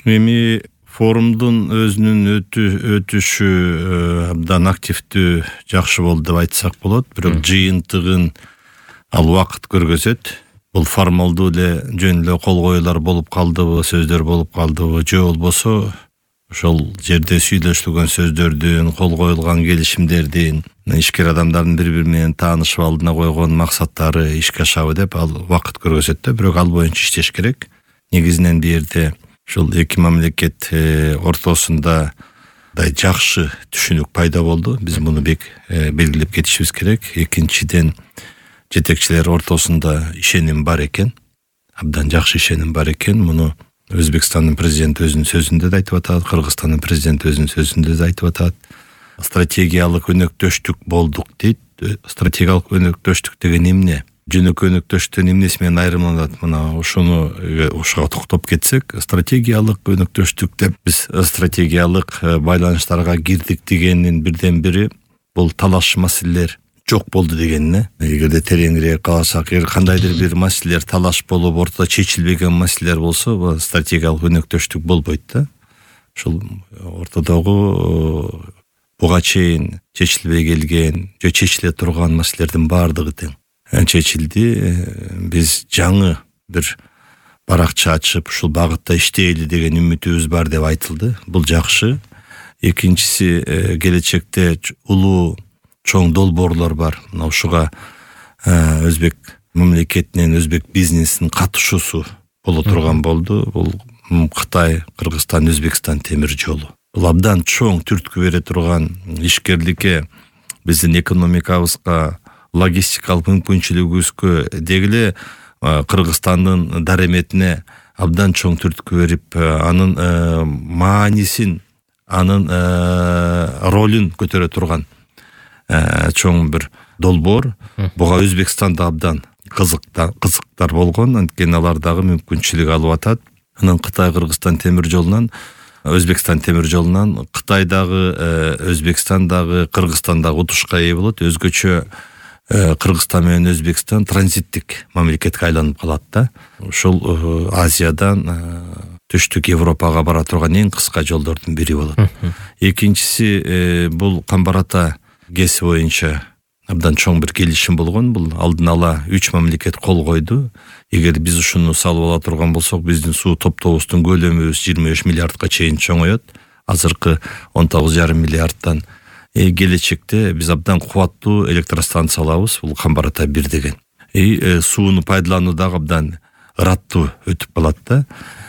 Эми форумдун өзүнүн өтүшү абдан активдүү, жакшы болду деп айтсак болот. Бирок жыйынтыгын ал убакыт көргөзөт. Бул формалдуу эле жөн эле кол коюлар болуп калдыбы, сөздөр болуп калдыбы, же болбосо ошол жерде сүйлөшүлгөн сөздөрдүн, кол коюлган келишимдердин, ишкер адамдардын бири-бири менен таанышып алдына койгон максаттары ишке ашабы деп ал убакыт көргөзөт да. Бирок ал боюнча иштеш керек. Негизинен бул жерде ушул эки мамлекет ортосунда жакшы түшүнүк пайда болду. Биз муну белгилеп кетишибиз керек. Экинчиден, жетекчилер ортосунда ишеним бар экен. Абдан жакшы ишеним бар экен. Муну Өзбекстандын президенти өзүнүн сөзүндө да айтып атат, Кыргызстандын президенти өзүнүн сөзүндө да айтып атат. Стратегиялык өнөктөштүк болдук дейт. Стратегиялык өнөктөштүк деген эмне? Жөнөкөй өнөктөштүктөн эмнеси менен айырмаланат? Мына ушуга токтоп кетсек, стратегиялык өнөктөштүк деп биз стратегиялык байланыштарга кирдик дегендин бирден бири бул талаш маселелер жок болду дегенине. Эгерде тереңирээк карасак, кандайдыр бир маселелер талаш болуп, ортодо чечилбеген маселелер болсо, бул стратегиялык өнөктөштүк болбойт да. Ушул ортодогу буга чейин чечилбей келген, же чечиле турган маселелердин баардыгы тең чечилди. Биз жаңы бир баракча ачып, ушул багытта иштейли деген үмүтүбүз бар деп айтылды. Бул жакшы. Экинчиси, келечекте улуу чоң долбоорлор бар. Мына ушуга өзбек мамлекетинен, өзбек бизнесинин катышуусу боло турган болду. Бул Кытай, Кыргызстан, Өзбекстан темир жолу. Бул абдан чоң түрткү бере турган, ишкерликке, биздин экономикабызга, логистикалык мүмкүнчүлүгүбүзгө, дегеле Кыргызстандын дареметине абдан чоң түрткү берип, анын маанисин, анын ролун көтөрө турган чоң бир долбоор. Буга Өзбекстанда абдан кызыктар болгон, анткени алар дагы мүмкүнчүлүк алып атат. Анан Кытай Кыргызстан темир жолунан, Өзбекстан темир жолунан Кытайдагы, Өзбекстандагы, Кыргызстандагы утушка ээ болот. Өзгөчө Кыргызстан менен Өзбекстан транзиттик мамлекетке айланып калат да. Ушул Азиядан түштүк Европага бара турган эң кыска жолдордун бири болот. Экинчиси, бул Камбар-Ата ГЭСи боюнча абдан чоң бир келишим болгон. Бул алдын ала 3 мамлекет кол койду. Эгер биз ушуну салып ала турган болсок, биздин суу топтобуздун көлөмүбүз 23 миллиардка чейин чоңоет. Азыркы 19,5 миллиардтан. Келечекте биз абдан кубаттуу электростанция алабыз. Бул Камбар-Ата 1 деген. Сууну пайдалануу дагы абдан ыраттуу өтүп калат да.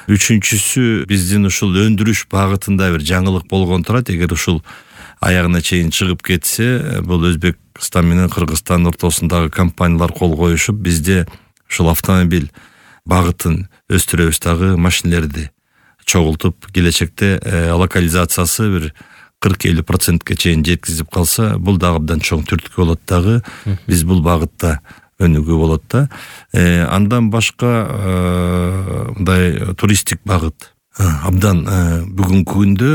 Үчүнчүсү, биздин ушул өндүрүш багытында бир жаңылык болгон турат. Эгер ушул аягына чейин чыгып кетсе, бул Өзбекстан менен Кыргызстан ортосундагы компаниялар кол коюшуп, бизде ушул автомобиль багытын өстүрөбүз дагы, машинелерди чогултуп, келечекте локализациясы бир 40-50%ке чейин жеткизип калса, бул дагы абдан чоң түрткү болот дагы. Биз бул багытта өнүгүү болот да. Андан башка мындай туристтик багыт абдан бүгүнкү күндө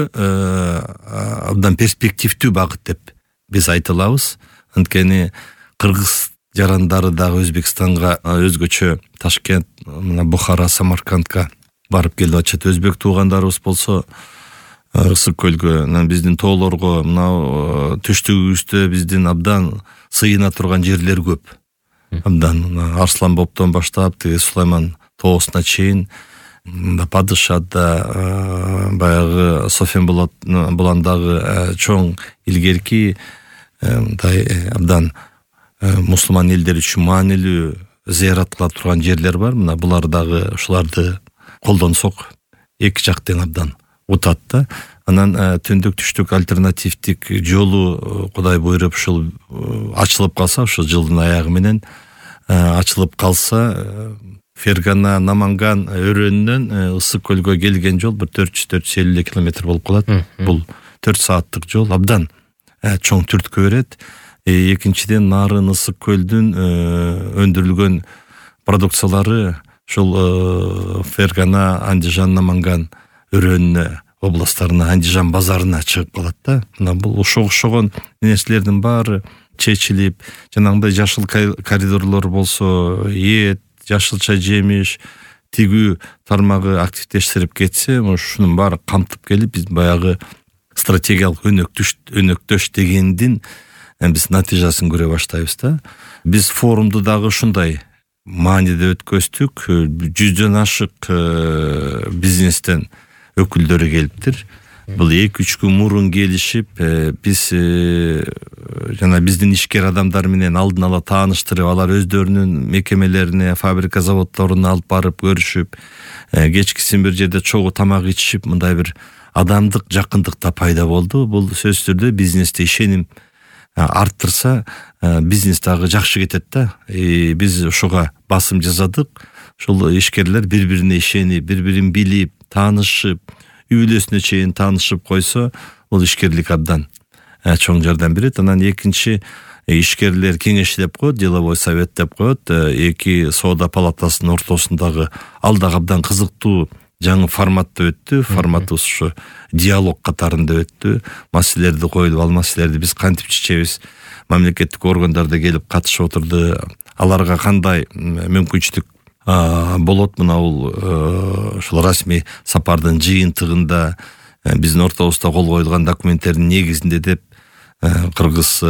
абдан перспективдүү багыт деп биз айта алабыз. Анткени кыргыз жарандары дагы Өзбекстанга өзгөчө Ташкент, мына Бухара, Самаркандка барып келип атышат. Өзбек туугандарыбыз болсо Ысык көлгө, биздин тоолорго, мына түштүгүбүздө биздин абдан сыйына турган жерлер көп. Абдан Арслан Боптон баштап, Сулайман тоосуна чейин, Падышада, баягы Софен буландагы чоң илгерки абдан мусулман элдер үчүн маанилүү зыярат кыла турган жерлер бар. Мына булар дагы ушуларды колдонсок, эки жак тең абдан утат да. Анан түндүк түштүк альтернативдик жолу Кудай буйруп ушул ачылып калса, ушул жылдын аягы менен ачылып калса, Фергана, Наманган өрөөнүнөн Ысык көлгө келген жол бир 400-450 километр болуп калат. Бул 4 сааттык жол, абдан чоң түрткү берет. Экинчиден, Нарын Ысык көлдүн өндүрүлгөн продукциялары ушул Фергана, Андижан, Наманган өрөөнүнө, областтарына, Андижан базарына чыгып калат да. Мына бул ошогон нерселердин баары чечилип, жанагындай жашыл коридорлор болсо, эт, жашылча жемиш, тигүү тармагы активдештирип кетсе, ушунун баары камтып келип биз баягы стратегиялык өнөктөш дегендин биз натыйжасын көрө баштайбыз да. Биз форумду дагы ушундай мааниде өткөздүк. 100дөн ашык бизнестен өкүлдөрү келиптир. Бул 2-3 күн мурун келишип, биз жана биздин ишкер адамдар менен алдын ала тааныштырып, алар өздөрүнүн мекемелерине, фабрика заводдоруна алып барып көрүшүп, кечкисин бир жерде чогуу тамак ичишип, мындай бир адамдык жакындык да пайда болду. Бул сөзсүз түрдө бизнесте ишеним арттырса, бизнес дагы жакшы кетет да. Биз ушуга басым жасадык. Ушул ишкерлер бири-бирине ишенип, бири-бирин билип, таанышып, үй бүлөсүнө чейин таанышып койсо, бул ишкерлик абдан чоң жардам берет. Анан экинчи, ишкерлер кеңештеп коет, деловой совет деп коет. Эки соода палатасынын ортосундагы ал дагы абдан кызыктуу жаңы форматта өттү. Форматыбыз ушу диалог катарында өттү. Маселелерди коюлуп, ал маселелерди биз кантип чечебиз? Мамлекеттик органдар да келип катышып отурду. Аларга кандай мүмкүнчүлүк болот? Мына бул ушул расмий сапардын жыйынтыгында биздин ортобузда кол коюлган документтердин негизинде деп кыргыз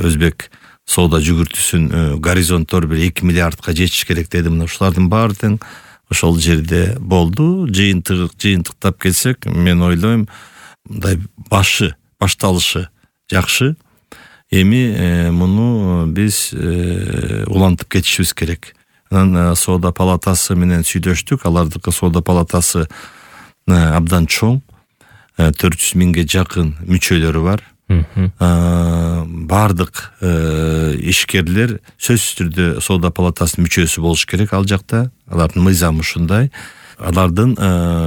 өзбек соода жүгүртүүсүн горизонттор бир 2 миллиардка жетиш керек деди. Мына ушулардын баары тең ошол жерде болду. Жыйынтыктап келсек, мен ойлойм, мындай башталышы жакшы. Эми муну биз улантып кетишибиз керек. Анан соода палатасы менен сүйлөштүк. Алардыкы соода палатасы абдан чоң. 400 миңге жакын мүчөлөрү бар. Бардык ишкерлер сөзсүз түрдө соода палатасынын мүчөсү болуш керек ал жакта. Алардын мыйзамы ушундай. Алардын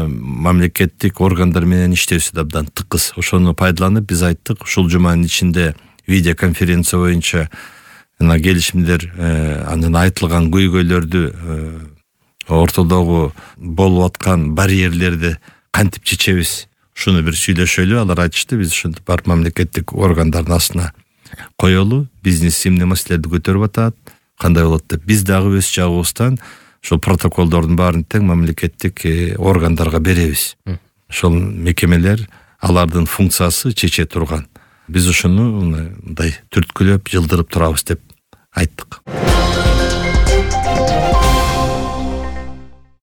мамлекеттик органдар менен иштөөсү да абдан тыкыз. Ошону пайдаланып биз айттык, ушул жуманын ичинде видеоконференция боюнча келишимдер, анын айтылган көйгөйлөрдү, ортодогу болуп аткан барьерлерди кантип чечебиз, ушуну бир сүйлөшөлү. Алар айтышты, биз ушинтип барып мамлекеттик органдардын астына коелу, бизнес эмне маселелерди көтөрүп атат, кандай болот деп. Биз дагы өз жагыбыздан ушул протоколдордун баарын тең мамлекеттик органдарга беребиз. Ошол мекемелер алардын функциясы чече турган. Биз ушуну мындай түрткүлөп, жылдырып турабыз деп айттык.